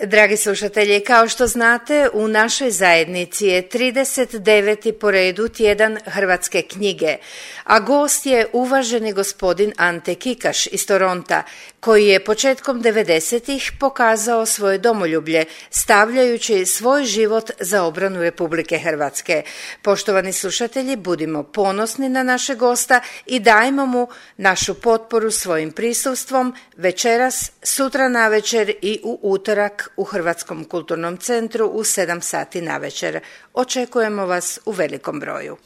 Dragi slušatelji, kao što znate, u našoj zajednici je 39. po redu tjedan hrvatske knjige, a gost je uvaženi gospodin Ante Kikaš iz Toronta, koji je početkom 90-ih pokazao svoje domoljublje, stavljajući svoj život za obranu Republike Hrvatske. Poštovani slušatelji, budimo ponosni na našeg gosta i dajmo mu našu potporu svojim prisustvom večeras, sutra navečer i u utorak u Hrvatskom kulturnom centru u 7 sati navečer. Očekujemo vas u velikom broju.